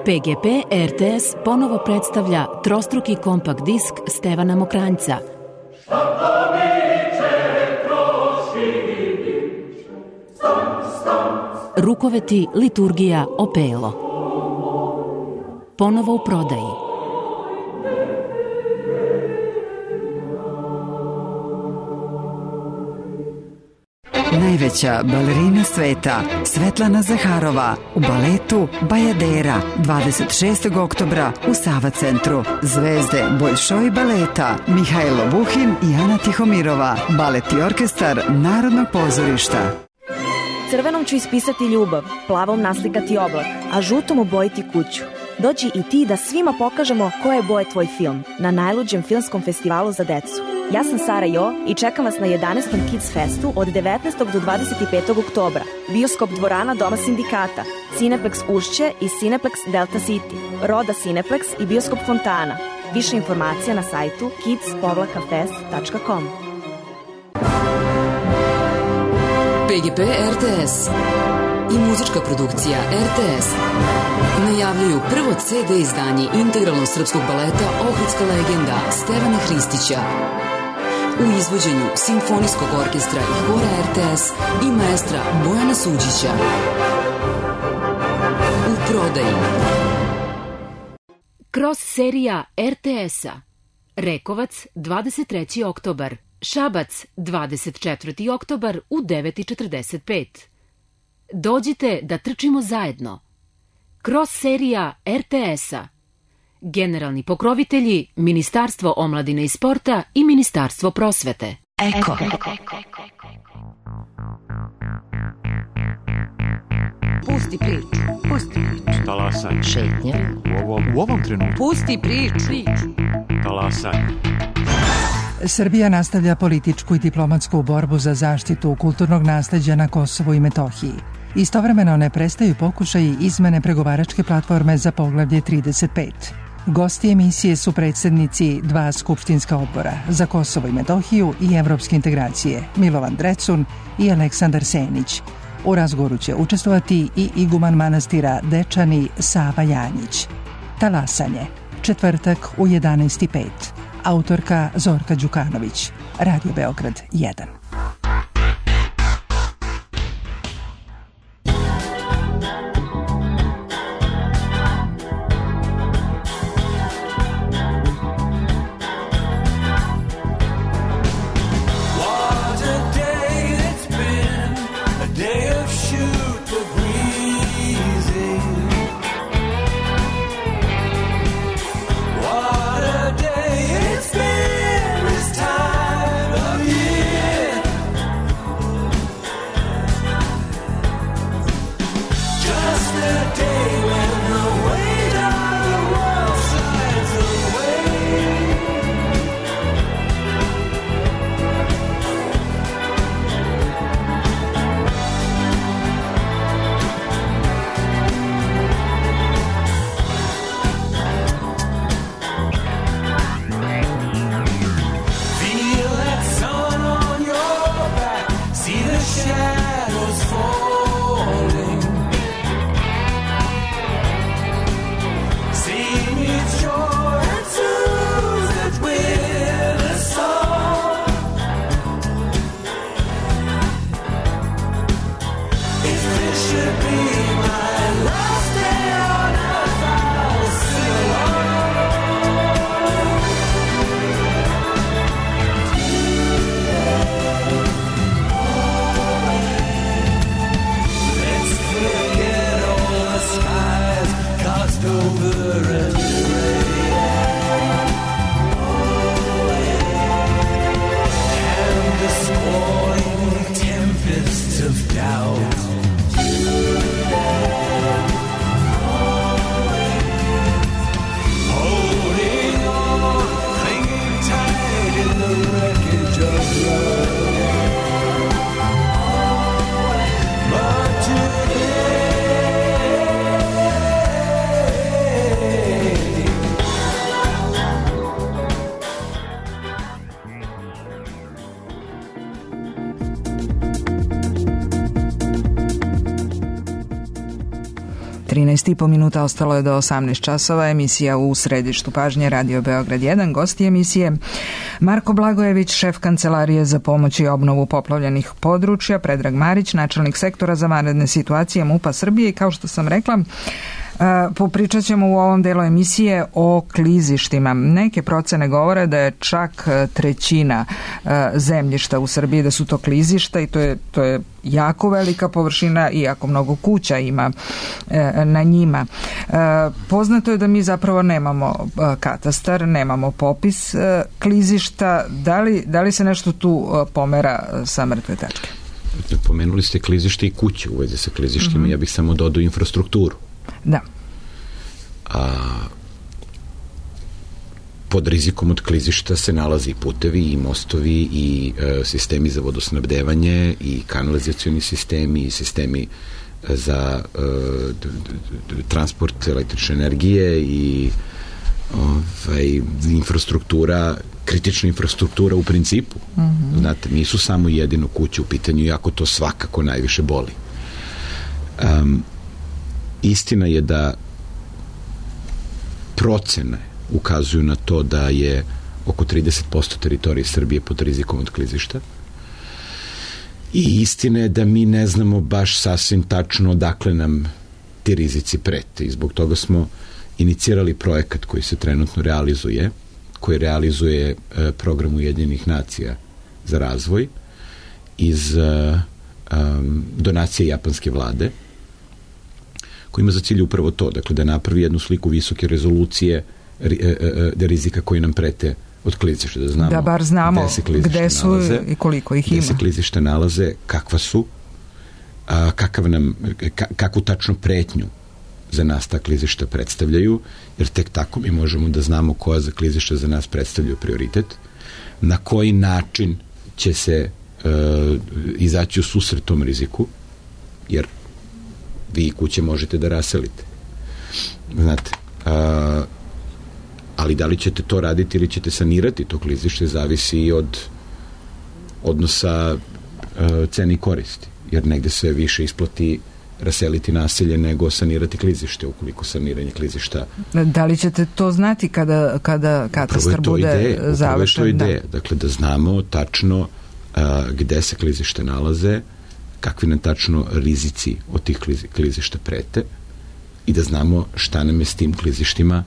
PGP RTS ponovo predstavlja trostruki kompakt disk Stevana Mokranjca. Rukoveti, liturgija, opelo. Ponovo u prodaji. Najveća balerina sveta, Svetlana Zaharova, u baletu Bajadera, 26. oktobra u Sava centru. Zvezde Boljšoj baleta, Mihajlo Buhin i Ana Tihomirova, balet i orkestar Narodnog pozorišta. Crvenom ću ispisati ljubav, plavom naslikati oblak, a žutom obojiti kuću. Dođi i ti da svima pokažemo koje boje tvoj film na najluđem filmskom festivalu za decu. Ja sam Sara Jo i čekam vas na 11. Kids Festu od 19. do 25. oktobra. Bioskop dvorana Doma sindikata, Cineplex Ušće i Cineplex Delta City, Roda Cineplex i Bioskop Fontana. Više informacija na sajtu kids-fest.com. PGP RTS i muzička produkcija RTS najavljuju prvo CD izdanje integralnog srpskog baleta Ohridska legenda Stevana Hristića u izvođenju Simfonijskog orkestra i hora RTS i maestra Bojana Suđića. U prodaji Cross serija RTS-a. Rekovac 23. oktobar, Šabac 24. oktobar u 9:45. Dođite da trčimo zajedno. Cross serija RTS-a. Generalni pokrovitelji Ministarstvo omladine i sporta i Ministarstvo prosvete. Eko. Pusti priču. Talasanje. Šetnja. U ovom trenutku. Pusti priču. Talasanje. Srbija nastavlja političku i diplomatsku borbu za zaštitu kulturnog nasleđa na Kosovu i Metohiji. Istovremeno ne prestaju pokušaji izmene pregovaračke platforme za poglavlje 35. Gosti emisije su predsednici 2 skupštinska odbora za Kosovo i Metohiju i evropske integracije, Milovan Drecun i Aleksandar Senić. U razgovoru će učestvovati i iguman manastira Dečani Sava Janjić. Talasanje, četvrtak u 11:05. Autorka Zorka Đukanović, Radio Beograd 1. It's 13,5 minuta ostalo je do 18 časova. Emisija u središtu pažnje Radio Beograd 1. Gosti emisije Marko Blagojević, šef Kancelarije za pomoć i obnovu poplavljenih područja, Predrag Marić, načelnik sektora za vanredne situacije MUP-a Srbije i kao što sam rekla, popričat ćemo u ovom delu emisije o klizištima. Neke procene govore da je čak trećina zemljišta u Srbiji da su to klizišta i to je jako velika površina i jako mnogo kuća ima na njima. Poznato je da mi zapravo nemamo katastar, nemamo popis klizišta. Da li se nešto tu pomera sa mrtve tačke? Pomenuli ste klizište i kuće u vezi sa klizištima. Ja bih samo dodao infrastrukturu. Da. Pod rizikom od klizišta se nalazi i putevi i mostovi i sistemi za vodosnabdevanje i kanalizacioni sistemi i sistemi za transport električne energije i infrastruktura, kritična infrastruktura u principu. Znate, nisu samo jedino kuće u pitanju, iako to svakako najviše boli. Istina je da procene ukazuju na to da je oko 30% teritorije Srbije pod rizikom od klizišta. I istina je da mi ne znamo baš sasvim tačno odakle nam ti rizici prete. I zbog toga smo inicirali projekat koji se trenutno realizuje, koji realizuje program Ujedinjenih nacija za razvoj iz donacije japanske vlade, koji ima za cilj upravo to, dakle da napravi jednu sliku visoke rezolucije rizika koji nam prete od klizišta, da bar znamo gde su nalaze, i koliko ih ima. Gde se klizišta nalaze, kakva su, kakvu tačno pretnju za nas ta klizišta predstavljaju, jer tek tako mi možemo da znamo koja za klizišta za nas predstavljaju prioritet, na koji način će se izaći u susret tom riziku, jer vi kuće možete da raselite. Znate, ali da li ćete to raditi ili ćete sanirati to klizište zavisi i od odnosa cene i koristi. Jer negde se više isplati raseliti naselje nego sanirati klizište, ukoliko saniranje klizišta... Da li ćete to znati kada katastar bude završen? Upravo je to ideja. Dakle, da znamo tačno gde se klizište nalaze, kakvi nam tačno rizici od tih klizišta prete i da znamo šta nam je s tim klizištima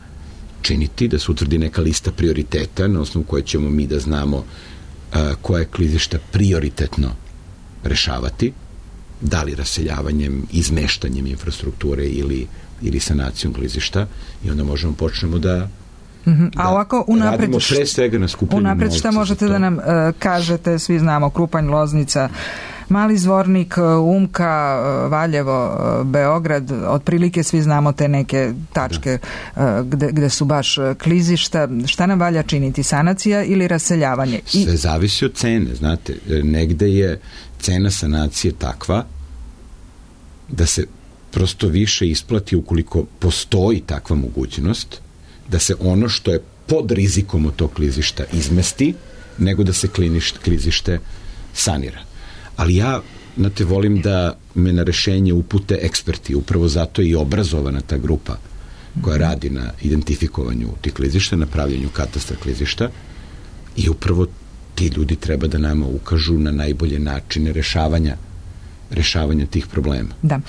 činiti, da se utvrdi neka lista prioriteta na osnovu koje ćemo mi da znamo koje klizišta prioritetno rešavati, da li raseljavanjem, izmeštanjem infrastrukture ili sanacijom klizišta, i onda možemo počnemo da a ovako unapred, pre svega na skupljenju novca. Unapred šta možete da nam kažete, svi znamo Krupanj, Loznica, Mali Zvornik, Umka, Valjevo, Beograd, otprilike svi znamo te neke tačke gde su baš klizišta. Šta nam valja činiti, sanacija ili raseljavanje? Sve zavisi od cene, znate, negde je cena sanacije takva da se prosto više isplati ukoliko postoji takva mogućnost da se ono što je pod rizikom od tog klizišta izmesti, nego da se klizište sanira. Ali ja, znate, volim da me na rešenje upute eksperti, upravo zato je i obrazovana ta grupa koja radi na identifikovanju tih klizišta, na pravljenju katastra klizišta, i upravo ti ljudi treba da nama ukažu na najbolje načine rešavanja rešavanja tih problema. Da.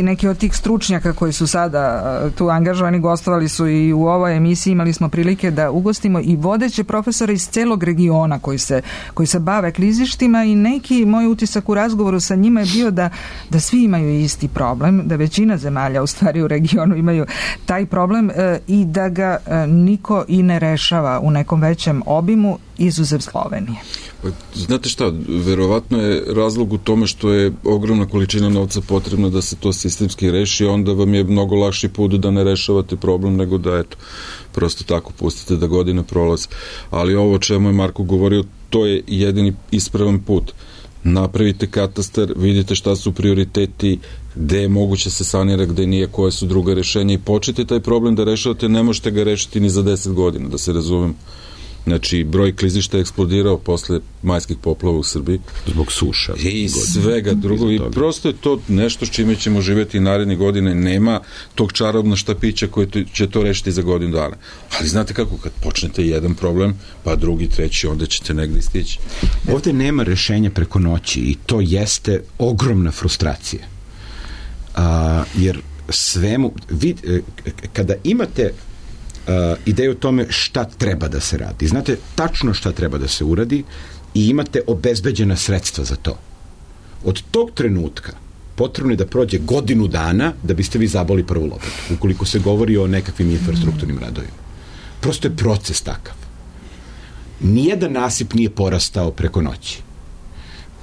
Neki od tih stručnjaka koji su sada tu angažovani gostovali su i u ovoj emisiji, imali smo prilike da ugostimo i vodeće profesore iz celog regiona koji se bave klizištima i neki moj utisak u razgovoru sa njima je bio da svi imaju isti problem, da većina zemalja u stvari u regionu imaju taj problem i da ga niko i ne rešava u nekom većem obimu izuzev Slovenije. Znate šta, verovatno je razlog u tome što je ogromna količina novca potrebna da se to sistemski reši, onda vam je mnogo lakši put da ne rešavate problem nego da prosto tako pustite da godine prolaze. Ali ovo o čemu je Marko govorio, to je jedini ispravan put. Napravite katastar, vidite šta su prioriteti, gde je moguće se sanira, gde nije, koje su druga rešenja i počete taj problem da rešavate, ne možete ga rešiti ni za 10 godina, da se razumem. Znači, broj klizišta je eksplodirao posle majskih poplava u Srbiji. Zbog suša. I svega drugo. I prosto je to nešto s čime ćemo živjeti naredne godine. Nema tog čarobnog štapića koji će to rešiti za godinu dana. Ali znate kako, kad počnete jedan problem, pa drugi, treći, onda ćete negdje stići. Ovde nema rešenja preko noći i to jeste ogromna frustracija. Jer svemu, kada imate ideju o tome šta treba da se radi. Znate tačno šta treba da se uradi i imate obezbeđena sredstva za to. Od tog trenutka potrebno je da prođe godinu dana da biste vi zaboli prvu lopatu, ukoliko se govori o nekakvim infrastrukturnim radovima. Prosto je proces takav. Nijedan nasip nije porastao preko noći.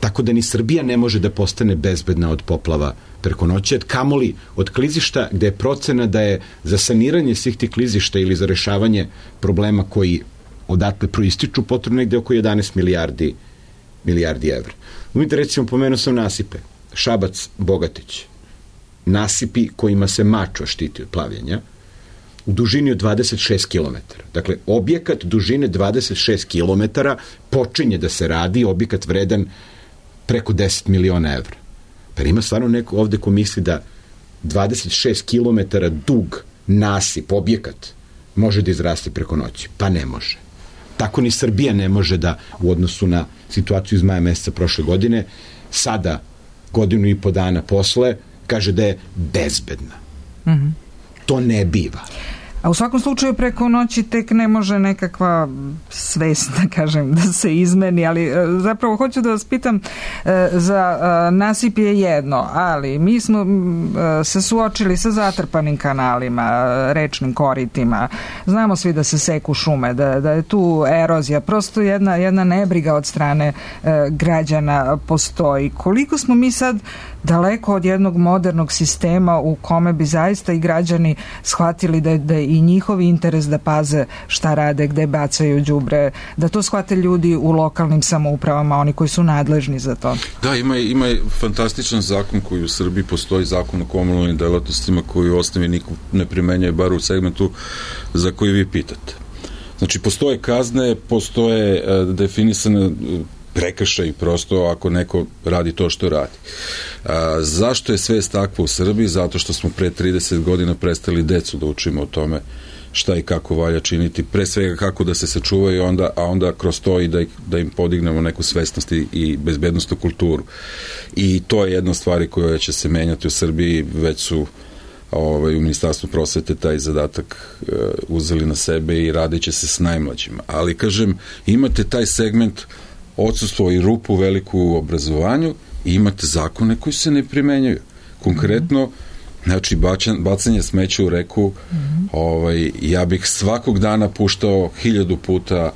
Tako da ni Srbija ne može da postane bezbedna od poplava preko noći, kamoli od klizišta gde je procena da je za saniranje svih tih klizišta ili za rešavanje problema koji odatle proističu potrebno negde oko 11 milijardi evra. Umite, recimo, pomenuo sam nasipe. Šabac, Bogatić. Nasipi kojima se Mačva štiti od plavljenja u dužini od 26 km. Dakle, objekat dužine 26 km počinje da se radi, objekat vredan preko 10 miliona evra. Pa ima stvarno neko ovde ko misli da 26 km dug nasip, objekat, može da izrasti preko noći. Pa ne može. Tako ni Srbija ne može da u odnosu na situaciju iz maja meseca prošle godine, sada, godinu i po dana posle, kaže da je bezbedna. Mm-hmm. To ne biva. A u svakom slučaju preko noći tek ne može nekakva svest, da kažem, da se izmeni, ali zapravo hoću da vas pitam, za nasip je jedno, ali mi smo se suočili sa zatrpanim kanalima, rečnim koritima, znamo svi da se seku šume, da je tu erozija, prosto jedna nebriga od strane građana postoji. Koliko smo mi sad daleko od jednog modernog sistema u kome bi zaista i građani shvatili da je i njihov interes da paze šta rade, gde bacaju đubre, da to shvate ljudi u lokalnim samoupravama, oni koji su nadležni za to. Da, ima fantastičan zakon koji u Srbiji postoji, zakon o komunalnim delatnostima koji u osnovi niko ne primenjuje, bar u segmentu za koji vi pitate. Znači, postoje kazne, postoje definisane prekršaj prosto ako neko radi to što radi. Zašto je svest takva u Srbiji? Zato što smo pre 30 godina prestali decu da učimo o tome šta i kako valja činiti, pre svega kako da se sačuvaju, a onda kroz to i da im podignemo neku svesnost i bezbednostnu kulturu. I to je jedna od stvari koja će se menjati u Srbiji, već su u Ministarstvu prosvete taj zadatak uzeli na sebe i radit će se s najmlađima. Ali, kažem, imate taj segment odsustvo i rupu veliku u obrazovanju i imate zakone koji se ne primenjuju. Konkretno, znači, bacanje smeća u reku, ja bih svakog dana puštao 1000 puta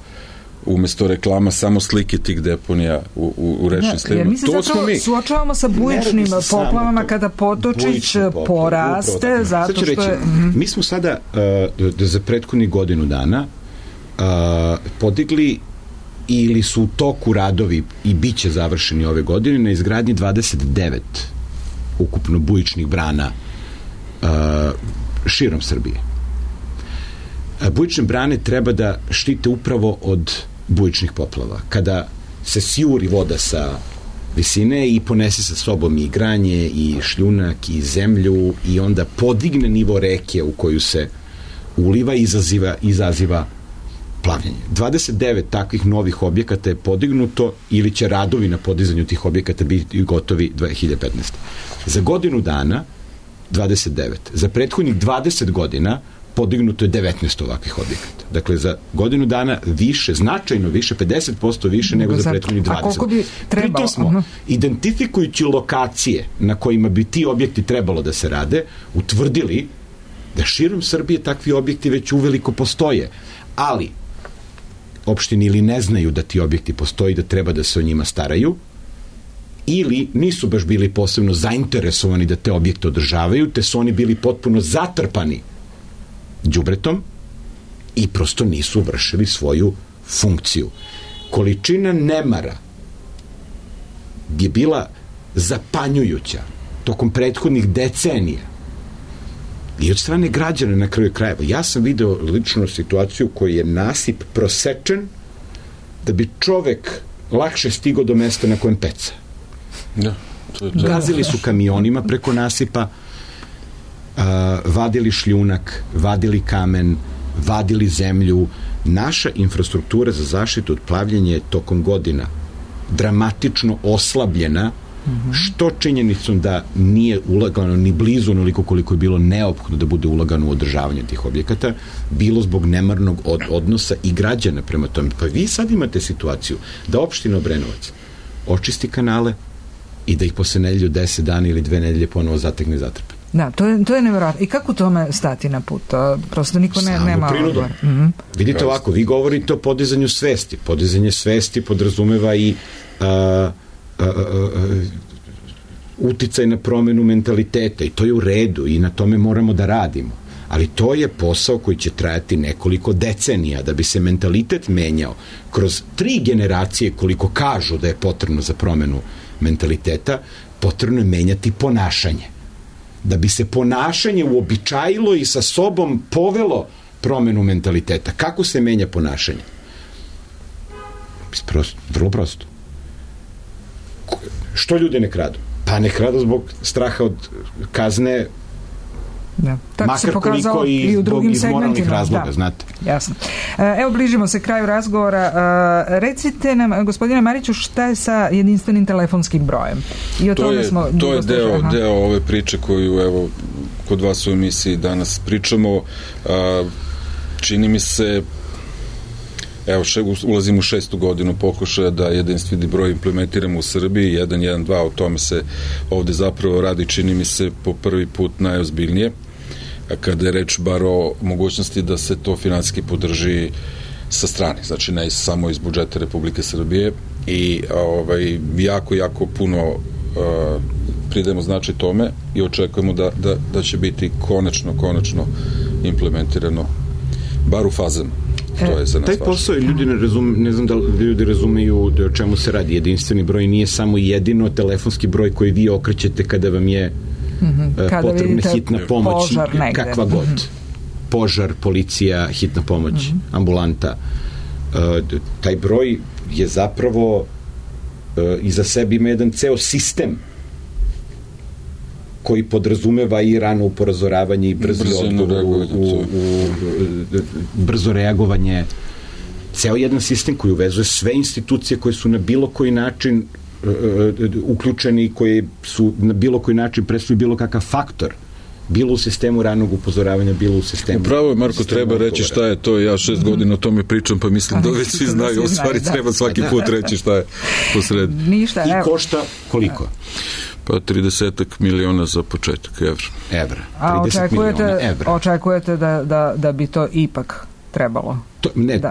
umesto reklama samo slike tih deponija u rečnim slivima. Mi se zapravo suočavamo sa bujičnim poplavama kada potočić poraste, zato što je... Mi smo sada za prethodnih godinu dana podigli ili su u toku radovi i bit će završeni ove godine na izgradnji 29 ukupno bujičnih brana širom Srbije. Bujične brane treba da štite upravo od bujičnih poplava. Kada se sjuri voda sa visine i ponese sa sobom i granje i šljunak i zemlju i onda podigne nivo reke u koju se uliva i izaziva plavljenje. 29 takvih novih objekata je podignuto ili će radovi na podizanju tih objekata biti gotovi 2015. Za godinu dana 29. Za prethodnih 20 godina podignuto je 19 ovakvih objekata. Dakle, za godinu dana više, značajno više, 50% više nego za prethodnih 20. A koliko bi trebalo? Pritom smo, identifikujući lokacije na kojima bi ti objekti trebalo da se rade, utvrdili da širom Srbije takvi objekti već uveliko postoje, ali opštini ili ne znaju da ti objekti postoji, da treba da se o njima staraju, ili nisu baš bili posebno zainteresovani da te objekte održavaju, te su oni bili potpuno zatrpani đubretom i prosto nisu vršili svoju funkciju. Količina nemara je bila zapanjujuća tokom prethodnih decenija i od strane građana na kraju krajeva. Ja sam video lično situaciju koju je nasip prosečen da bi čovek lakše stigao do mesta na kojem peca. Da. Gazili su kamionima preko nasipa, vadili šljunak, vadili kamen, vadili zemlju. Naša infrastruktura za zaštitu od plavljenja je tokom godina dramatično oslabljena, što činjenicom da nije ulagano ni blizu onoliko koliko je bilo neophodno da bude ulagano u održavanje tih objekata, bilo zbog nemarnog odnosa i građana prema tome. Pa vi sad imate situaciju da opština Obrenovac očisti kanale i da ih posle nedelju 10 dana ili 2 nedelje ponovo zategne i zatrpe. Da, to je nevjerojatno. I kako tome stati na put? Prosto niko nema odgovor. Vidite ovako, vi govorite o podizanju svesti. Podizanje svesti podrazumeva i uticaj na promenu mentaliteta i to je u redu i na tome moramo da radimo. Ali to je posao koji će trajati nekoliko decenija da bi se mentalitet menjao kroz 3 generacije koliko kažu da je potrebno za promenu mentaliteta, potrebno je menjati ponašanje. Da bi se ponašanje uobičajilo i sa sobom povelo promenu mentaliteta. Kako se menja ponašanje? Vrlo prosto. Što ljudi ne kradu? Pa ne kradu zbog straha od kazne, makar koliko i iz moralnih razloga, znate. Jasno. Evo, bližimo se kraju razgovora. Recite nam, gospodine Mariću, šta je sa jedinstvenim telefonskim brojem? I o tome smo to je deo ove priče koju, evo, kod vas u emisiji danas pričamo. Čini mi se, evo, ulazimo u 6. godinu pokušaja da jedinstveni broj implementiramo u Srbiji, 112, o tome se ovde zapravo radi, čini mi se, po prvi put najozbiljnije, kada je reč bar o mogućnosti da se to finansijski podrži sa strane, znači ne samo iz budžeta Republike Srbije i jako puno pridajemo značaj tome i očekujemo da će biti konačno implementirano bar u fazama. Taj posao ljudi ne znam da ljudi razumeju o čemu se radi. Jedinstveni broj nije samo jedino telefonski broj koji vi okrećete kada vam je potrebna hitna pomoć, kakva god. Požar, policija, hitna pomoć, ambulanta. Taj broj je zapravo iza sebe ima jedan ceo sistem koji podrazumeva i rano upozoravanje i brzi odgovor, brzo reagovanje. Ceo jedan sistem koji uvezuje sve institucije koje su na bilo koji način uključeni i koje su na bilo koji način predstavljaju bilo kakav faktor, bilo u sistemu ranog upozoravanja, bilo u sistemu... Upravo je, Marko, treba reći šta je to. Ja 6 godina o tome pričam, pa mislim da već svi znaju. U stvari treba svaki put reći šta je posred. I košta koliko? Pa 30 miliona za početak evra. A očekujete da bi to ipak trebalo?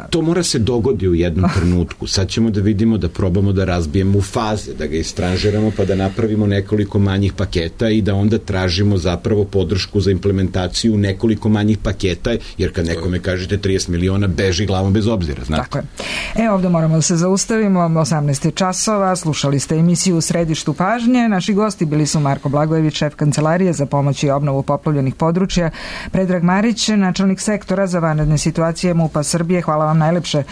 To mora se dogodi u jednom trenutku. Sad ćemo da vidimo, da probamo da razbijemo u faze, da ga istranžiramo pa da napravimo nekoliko manjih paketa i da onda tražimo zapravo podršku za implementaciju nekoliko manjih paketa, jer kad nekome kažete 30 miliona, beži glavom bez obzira, znate. Tako je. Ovdje moramo da se zaustavimo, 18 časova, slušali ste emisiju U središtu pažnje. Naši gosti bili su Marko Blagojević, šef Kancelarije za pomoć i obnovu poplavljenih područja, Predrag Marić, načelnik sektora za vanredne situacije MUP-a Srbije. Hvala vam najlepše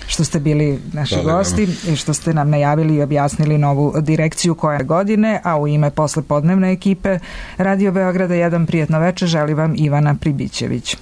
što ste bili naši gosti i što ste nam najavili i objasnili novu direkciju koje godine, a u ime poslepodnevne ekipe Radio Beograda 1 prijetno večer želi vam Ivana Pribićević.